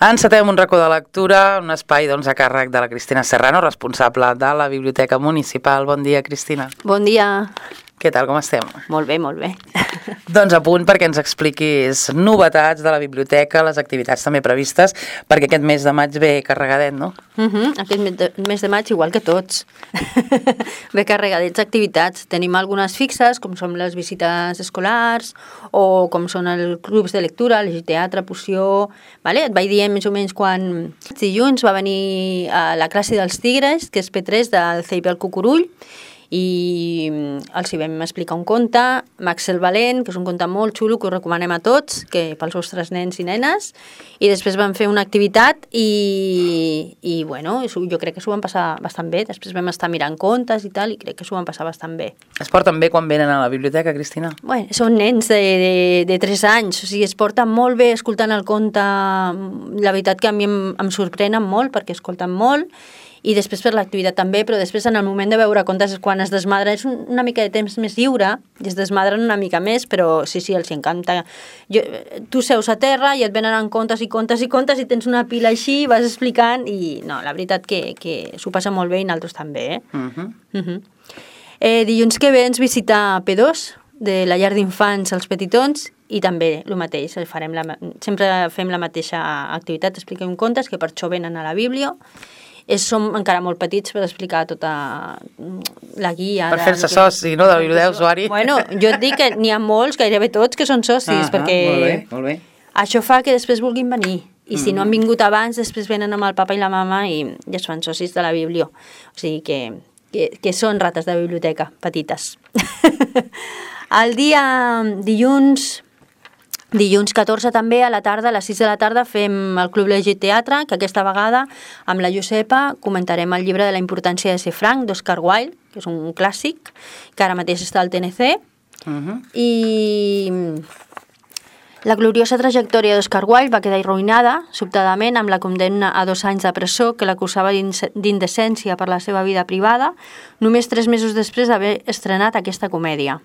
Encetem un racó de lectura, un espai a càrrec de la Cristina Serrano, responsable de la Biblioteca Municipal. Bon dia, Cristina. Bon dia. Què tal, com estem? Molt bé, molt bé. Doncs a punt perquè ens expliquis novetats de la biblioteca, les activitats també previstes, perquè aquest mes de maig ve carregadet, no? Aquest mes de maig, igual que tots, ve carregadets d'activitats. Tenim algunes fixes, com són les visites escolars, o com són els clubs de lectura, el teatre, poció... Vale? Et vaig dir més o menys quan dilluns va venir a la classe dels tigres, que és P3 del CEIP el Cucurull, i els hi vam explicar un conte, Max el Valent, que és un conte molt xulo que us recomanem a tots, que pels vostres nens i nenes, i després vam fer una activitat i bueno, jo crec que s'ho van passar bastant bé. Després vam estar mirant contes i tal, i crec que s'ho van passar bastant bé. Es porten bé quan venen a la biblioteca, Cristina? Bueno, són nens de 3 anys, o sigui, es porten molt bé escoltant el conte. La veritat que a mi em sorprenen molt, perquè escolten molt, i després per l'activitat també, però després en el moment de veure contes és quan es desmadra, és una mica de temps més lliure, i es desmadren una mica més, però sí, els encanta. Tu seus a terra i et venen en contes i contes i contes i tens una pila així, vas explicant, i no, la veritat que s'ho passa molt bé i nosaltres també, Dilluns que ve ens visita P2, de la llar d'infants als petitons, i també el mateix, sempre fem la mateixa activitat, expliquem contes, que per això venen a la Bíblia. Som encara molt petits per explicar tota la guia. Per fer-se soci, no?, de la biblioteca d'usuari. Bueno, jo et dic que n'hi ha molts, gairebé tots, que són socis, perquè molt bé. Això fa que després vulguin venir. I si no han vingut abans, després venen amb el papa i la mama i ja es fan socis de la Bíblia. O sigui que són rates de biblioteca, petites. El dia Dilluns 14 també, a la tarda, a les 6 de la tarda, fem el Club Llegit Teatre, que aquesta vegada, amb la Josepa, comentarem el llibre de la importància de ser franc, d'Oscar Wilde, que és un clàssic, que ara mateix està al TNC, i la gloriosa trajectòria d'Oscar Wilde va quedar arruïnada, sobtadament, amb la condemna a 2 anys de presó que l'acusava d'indecència per la seva vida privada, només 3 mesos després d'haver estrenat aquesta comèdia.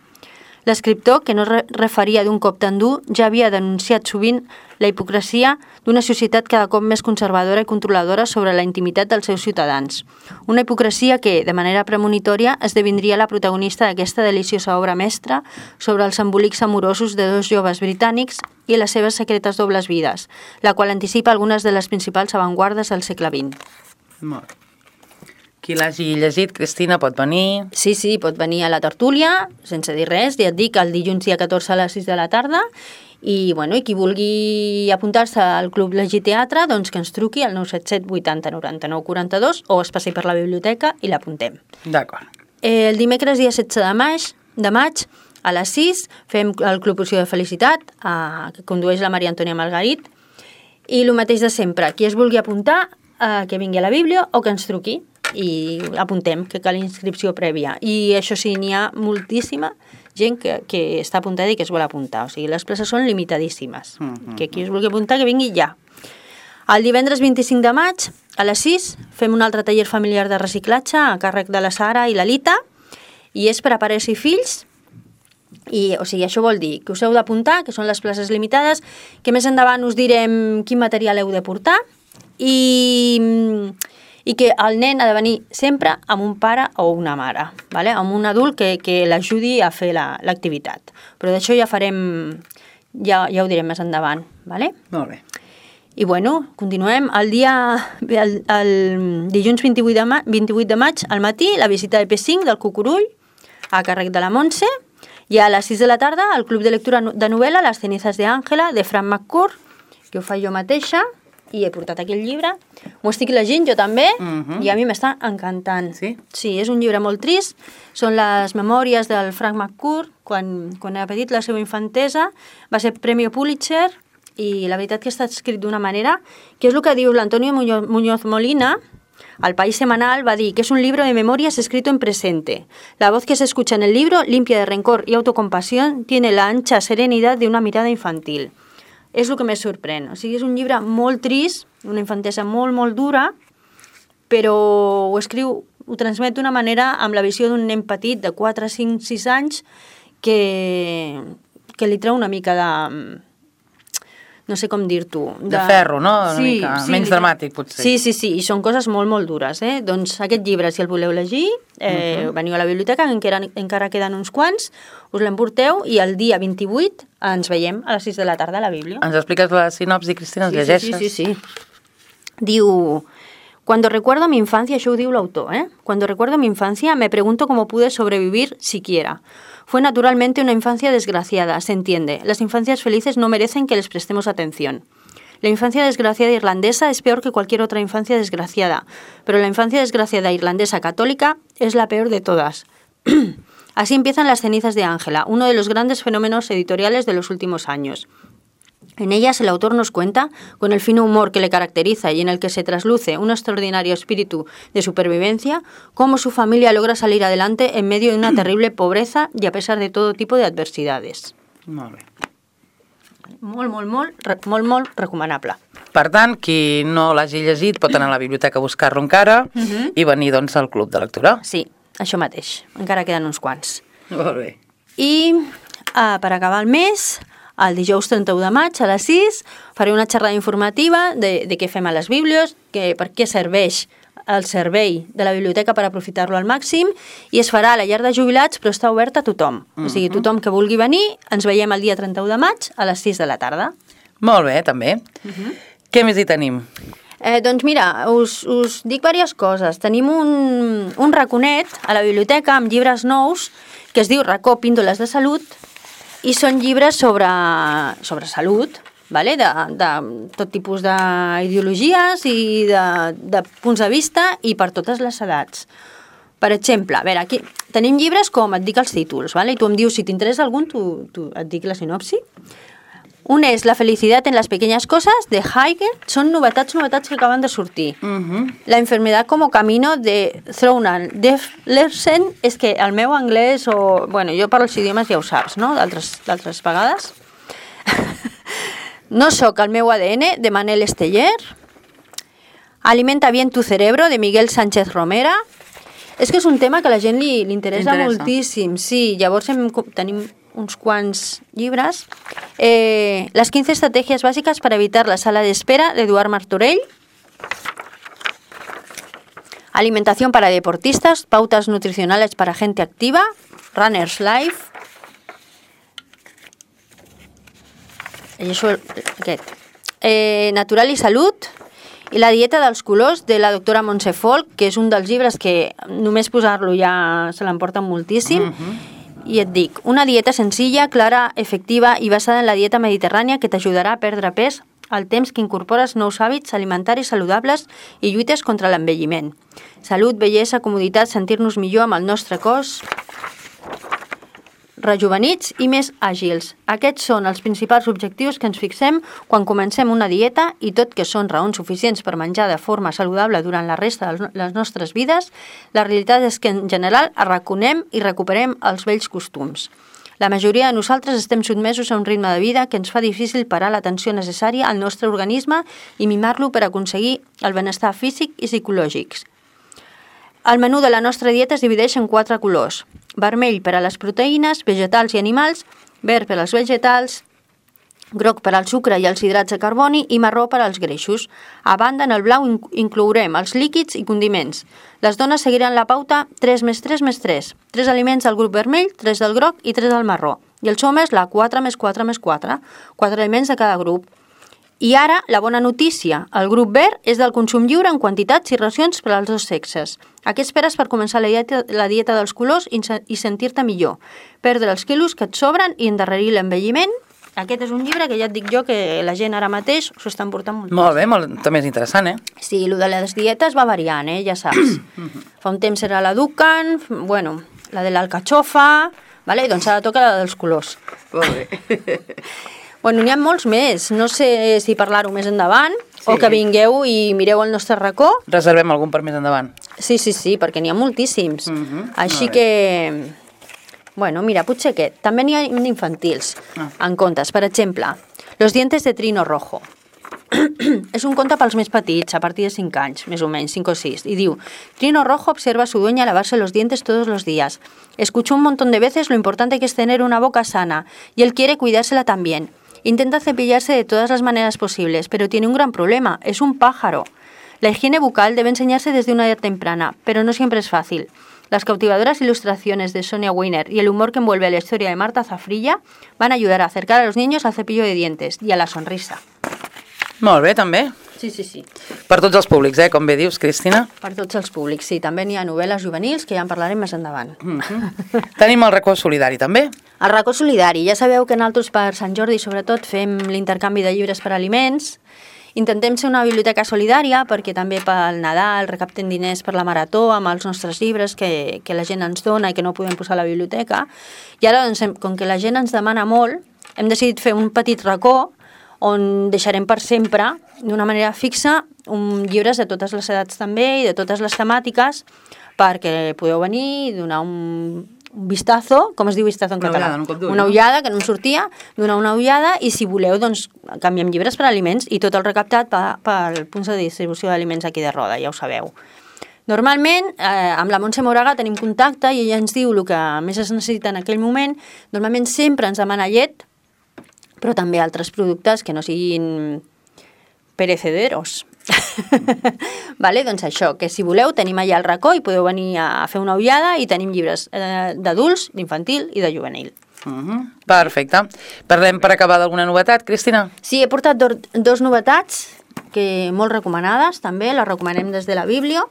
L'escriptor, que no referia d'un cop tan dur, ja havia denunciat sovint la hipocresia d'una societat cada cop més conservadora i controladora sobre la intimitat dels seus ciutadans. Una hipocresia que, de manera premonitòria, esdevindria la protagonista d'aquesta deliciosa obra mestra sobre els embolics amorosos de 2 joves britànics i les seves secretes dobles vides, la qual anticipa algunes de les principals avantguardes del segle XX. Molt bé. Qui l'hagi llegit, Cristina, pot venir? Sí, pot venir a la tertúlia, sense dir res, ja et dic, el dilluns dia 14 a les 6 de la tarda, i qui vulgui apuntar-se al Club Llegit Teatre, doncs que ens truqui al 977 80 99 42 o es passi per la biblioteca i l'apuntem. D'acord. El dimecres dia 16 de maig, a les 6, fem el Club Poció de Felicitat, que condueix la Maria Antònia Margarit, i el mateix de sempre, qui es vulgui apuntar, que vingui a la Bíblia o que ens truqui, i apuntem, que cal inscripció prèvia. I això sí, n'hi ha moltíssima gent que està apuntada i que es vol apuntar. O sigui, les places són limitadíssimes. Que qui es vulgui apuntar, que vingui ja. El divendres 25 de maig, a les 6, fem un altre taller familiar de reciclatge a càrrec de la Sara i la Lita, i és per a pares i fills. O sigui, això vol dir que us heu d'apuntar, que són les places limitades, que més endavant us direm quin material heu de portar, i que el nen ha de venir sempre amb un pare o una mare, vale? Amb un adult que l'ajudi a fer l'activitat. Però d'això ja ho direm més endavant. Vale? Molt bé. I continuem. El dilluns 28 de maig, al matí, la visita de P5 del Cucurull, a càrrec de la Montse, i a les 6 de la tarda, el Club de Lectura de Novel·la, Les cenizas de Ángela, de Frank McCourt, que ho faig jo mateixa, i he portat aquí el llibre. M'ho estic llegint jo també, i a mi m'està encantant. Sí? Sí, és un llibre molt trist. Són les memòries del Frank McCourt, quan era petit, la seva infantesa. Va ser Premi Pulitzer, i la veritat que està escrit d'una manera, que és el que diu l'Antonio Muñoz Molina, al País Semanal, va dir que és un libro de memorias escrito en presente. La voz que se escucha en el libro, limpia de rencor y autocompasión, tiene la ancha serenidad de una mirada infantil. És el que més sorprèn. O sigui, és un llibre molt trist, una infantesa molt, molt dura, però ho transmet d'una manera amb la visió d'un nen petit de 4, 5, 6 anys que li treu una mica no sé com dir-t'ho... De ferro, no? Una mica menys dramàtic, potser. Sí, i són coses molt, molt dures, eh? Doncs aquest llibre, si el voleu llegir, veniu a la biblioteca, encara queden uns quants, us l'emporteu i el dia 28 ens veiem a les 6 de la tarda a la Bíblia. Ens expliques la sinopsi, Cristina, ens llegeixes? Sí. Diu... Cuando recuerdo mi infancia, això ho diu l'autor, Cuando recuerdo mi infancia, me pregunto cómo pude sobrevivir siquiera. Fue naturalmente una infancia desgraciada, se entiende. Las infancias felices no merecen que les prestemos atención. La infancia desgraciada irlandesa es peor que cualquier otra infancia desgraciada, pero la infancia desgraciada irlandesa católica es la peor de todas. Así empiezan Las cenizas de Ángela, uno de los grandes fenómenos editoriales de los últimos años. En ellas el autor nos cuenta, con el fino humor que le caracteriza y en el que se trasluce un extraordinario espíritu de supervivencia, cómo su familia logra salir adelante en medio de una terrible pobreza y a pesar de todo tipo de adversidades. Molt bé. Molt recomanable. Per tant, qui no l'hagi llegit pot anar a la biblioteca a buscar-lo encara i venir doncs al club de lectura. Sí, això mateix. Encara queden uns quants. Molt bé. I per acabar el mes... El dijous 31 de maig a les 6 faré una xerrada informativa de què fem a les bíblies, per què serveix el servei de la biblioteca per aprofitar-lo al màxim, i es farà a la llar de jubilats, però està obert a tothom. O sigui, tothom que vulgui venir, ens veiem el dia 31 de maig a les 6 de la tarda. Molt bé, també. Què més hi tenim? Doncs mira, us dic diverses coses. Tenim un raconet a la biblioteca amb llibres nous que es diu Racó Píndoles de Salut, i són llibres sobre salut, vale? de tot tipus d'ideologies i de punts de vista i per totes les edats. Per exemple, a veure, aquí tenim llibres com et dic els títols, vale? I tu em dius si t'interessa algun, et dic la sinopsi. Un és La felicidad en las pequeñas cosas, de Heidegger. Són novetats que acaben de sortir. La enfermedad como camino, de Thronan Lersen. És que el meu anglès, bueno, jo parlo els idiomes, ja ho saps, no?, d'altres vegades. No soc el meu ADN, de Manel Esteller. Alimenta bien tu cerebro, de Miguel Sánchez Romera. És que és un tema que a la gent li interessa moltíssim. Sí, llavors tenim uns quants llibres. Las 15 estrategias básicas para evitar la sala de espera, de Eduard Martorell. Alimentación para deportistas, pautas nutricionales para gente activa, Runner's Life. I això, aquest. Natural i salut. I la dieta dels colors, de la doctora Montse Folk, que és un dels llibres que només posar-lo ja se l'emporten moltíssim. I et dic, una dieta senzilla, clara, efectiva i basada en la dieta mediterrània que t'ajudarà a perdre pes al temps que incorpores nous hàbits alimentaris saludables i lluites contra l'envelliment. Salut, bellesa, comoditat, sentir-nos millor amb el nostre cos, rejuvenits i més àgils. Aquests són els principals objectius que ens fixem quan comencem una dieta i tot que són raons suficients per menjar de forma saludable durant la resta de les nostres vides, la realitat és que en general arraconem i recuperem els vells costums. La majoria de nosaltres estem sotmesos a un ritme de vida que ens fa difícil parar l'atenció necessària al nostre organisme i mimar-lo per aconseguir el benestar físic i psicològic. El menú de la nostra dieta es divideix en 4 colors. Vermell per a les proteïnes, vegetals i animals, verd per als vegetals, groc per al sucre i els hidrats de carboni i marró per als greixos. A banda, en el blau inclourem els líquids i condiments. Les dones seguiran la pauta 3 més 3 més 3. 3 aliments del grup vermell, 3 del groc i 3 del marró. I els homes la 4 més 4 més 4. 4 aliments de cada grup. I ara, la bona notícia, el grup verd és del consum lliure en quantitats i racions per als dos sexes. A què esperes per començar la dieta dels colors i sentir-te millor? Perdre els quilos que et sobren i endarrerir l'envelliment? Aquest és un llibre que ja et dic jo que la gent ara mateix s'ho està emportant molt. Molt bé, també és interessant, Sí, el de les dietes va variant, ja saps. Fa un temps era la Dukan, bueno, la de l'alcachofa, vale? Doncs ara toca la dels colors. Molt bé. Bueno, n'hi ha molts més. No sé si parlar-ho més endavant o que vingueu i mireu el nostre racó. Reservem algun per més endavant. Sí, perquè n'hi ha moltíssims. Així que, bueno, mira, potser aquest. També n'hi ha infantils en contes. Per exemple, Los dientes de Trino Rojo. És un conte pels més petits, a partir de 5 anys, més o menys, 5 o 6. Y diu, Trino Rojo observa a su dueña lavarse los dientes todos los días. Escuchó un montón de veces lo importante que es tener una boca sana y él quiere cuidársela también. Intenta cepillarse de todas las maneras posibles, pero tiene un gran problema, es un pájaro. La higiene bucal debe enseñarse desde una edad temprana, pero no siempre es fácil. Las cautivadoras ilustraciones de Sonia Weiner y el humor que envuelve la historia de Marta Zafrilla van a ayudar a acercar a los niños al cepillo de dientes y a la sonrisa. Molt bé, també. Sí, sí, sí. Per tots els públics, com bé dius, Cristina. Per tots els públics, sí. També n'hi ha novel·les juvenils, que ja en parlarem més endavant. Tenim el racó solidari, també. El racó solidari. Ja sabeu que nosaltres per Sant Jordi, sobretot, fem l'intercanvi de llibres per aliments. Intentem ser una biblioteca solidària perquè també pel Nadal recaptem diners per la marató amb els nostres llibres que la gent ens dona i que no podem posar a la biblioteca. I ara, doncs, com que la gent ens demana molt, hem decidit fer un petit racó on deixarem per sempre, d'una manera fixa, llibres de totes les edats també i de totes les temàtiques perquè podeu venir i donar un vistazo, com es diu vistazo en català? Una ullada, que no em sortia, donar una ullada i si voleu, doncs, canviem llibres per aliments i tot el recaptat pel punt de distribució d'aliments aquí de Roda, ja ho sabeu. Normalment, amb la Montse Moraga tenim contacte i ella ens diu el que més es necessita en aquell moment. Normalment sempre ens demana llet, però també altres productes que no siguin perecederos. Vale, doncs això, que si voleu tenim allà el racó i podeu venir a fer una ullada i tenim llibres d'adults, d'infantil i de juvenil. Perfecte. Parlem per acabar d'alguna novetat, Cristina? Sí, he portat dos novetats que molt recomanades també, les recomanem des de la Bíblia.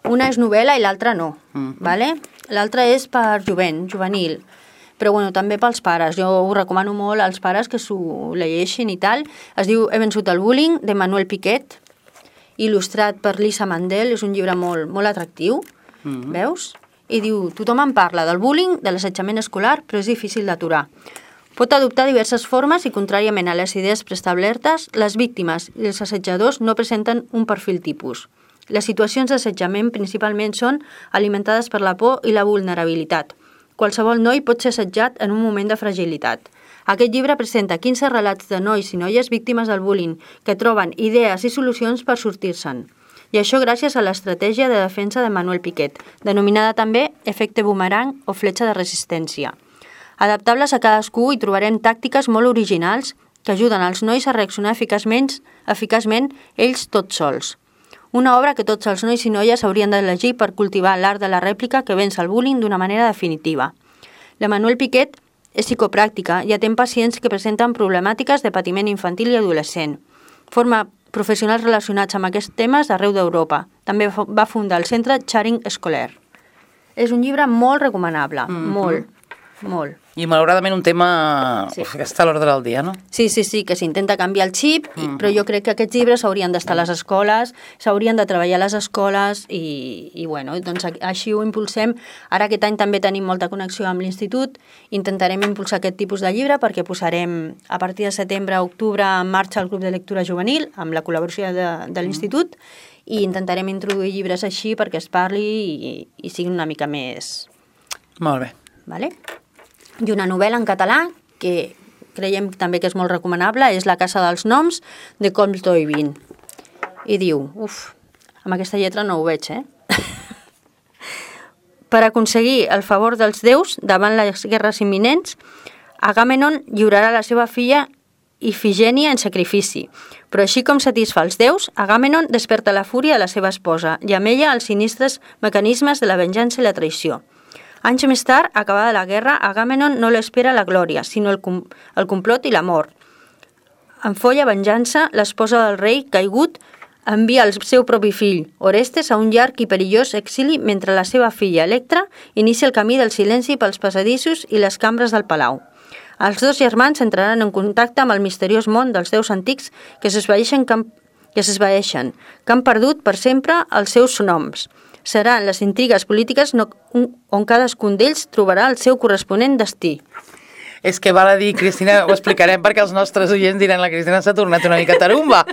Una és novel·la i l'altra no. Vale? L'altra és per juvenil. Però bueno, també pels pares. Jo ho recomano molt als pares que s'ho llegeixin i tal. Es diu He vençut el bullying, de Manuel Piquet, il·lustrat per Lisa Mandel. És un llibre molt, molt atractiu, veus? I diu, tothom en parla del bullying, de l'assetjament escolar, però és difícil d'aturar. Pot adoptar diverses formes i, contràriament a les idees preestablertes, les víctimes i els assetjadors no presenten un perfil tipus. Les situacions d'assetjament principalment són alimentades per la por i la vulnerabilitat. Qualsevol noi pot ser assetjat en un moment de fragilitat. Aquest llibre presenta 15 relats de nois i noies víctimes del bullying que troben idees i solucions per sortir-se'n. I això gràcies a l'estratègia de defensa de Manuel Piquet, denominada també efecte boomerang o fletxa de resistència. Adaptables a cadascú hi trobarem tàctiques molt originals que ajuden als nois a reaccionar eficaçment ells tots sols. Una obra que tots els nois i noies haurien d'elegir per cultivar l'art de la rèplica que venç el bullying d'una manera definitiva. La Manuel Piquet és psicopràctica i atén pacients que presenten problemàtiques de patiment infantil i adolescent. Forma professionals relacionats amb aquests temes d'arreu d'Europa. També va fundar el centre Charing Escolar. És un llibre molt recomanable, molt. I malauradament un tema que està a l'ordre del dia, no? Sí, que s'intenta canviar el xip, però jo crec que aquests llibres haurien d'estar a les escoles, s'haurien de treballar a les escoles i bueno, doncs així ho impulsem. Ara aquest any també tenim molta connexió amb l'institut, intentarem impulsar aquest tipus de llibre perquè posarem a partir de setembre a octubre en marxa el grup de lectura juvenil amb la col·laboració de l'institut i intentarem introduir llibres així perquè es parli i sigui una mica més... Molt bé. Vale? I una novel·la en català que creiem també que és molt recomanable és La casa dels noms, de Coll Toivin. I diu, amb aquesta lletra no ho veig, Per aconseguir el favor dels déus davant les guerres imminents, Agamenon lliurarà la seva filla Ifigènia en sacrifici. Però així com satisfà els déus, Agamenon desperta la fúria de la seva esposa i amb ella els sinistres mecanismes de la venjança i la traïció. Anys més tard, acabada la guerra, Agamenon no l'espera la glòria, sinó el complot i l'amor. En folla venjança, l'esposa del rei, caigut, envia el seu propi fill, Orestes, a un llarg i perillós exili mentre la seva filla, Electra, inicia el camí del silenci pels passadissos i les cambres del palau. Els dos germans entraran en contacte amb el misteriós món dels déus antics que s'esvaeixen, que han perdut per sempre els seus noms. Seran les intrigues polítiques on cadascun d'ells trobarà el seu corresponent destí. És que val a dir, Cristina, ho explicarem perquè els nostres oients diran la Cristina s'ha tornat una mica tarumba.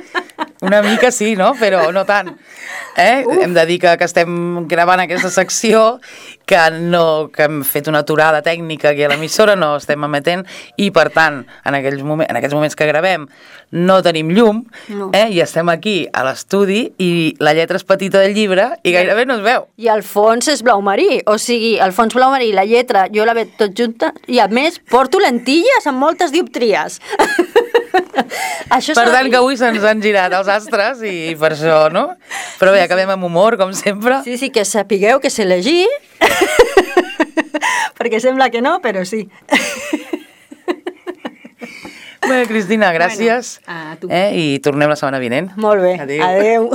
Una mica sí, no? Però no tant. Hem de dir que estem gravant aquesta secció, que hem fet una aturada tècnica aquí a l'emissora, no estem emetent, i per tant, en aquests moments que gravem, no tenim llum, i estem aquí a l'estudi, i la lletra és petita del llibre, i gairebé no es veu. I el fons és blau marí, o sigui, el fons blau marí, la lletra, jo la veig tot junta, i a més porto lentilles amb moltes dioptries. Per tant, que avui se'ns han girat els astres i per això, no? Però bé, acabem amb humor, com sempre. Sí, que sapigueu que sé llegir, perquè sembla que no, però sí. Bé, Cristina, gràcies. Bueno, a tu. I tornem la setmana vinent. Molt bé, adeu.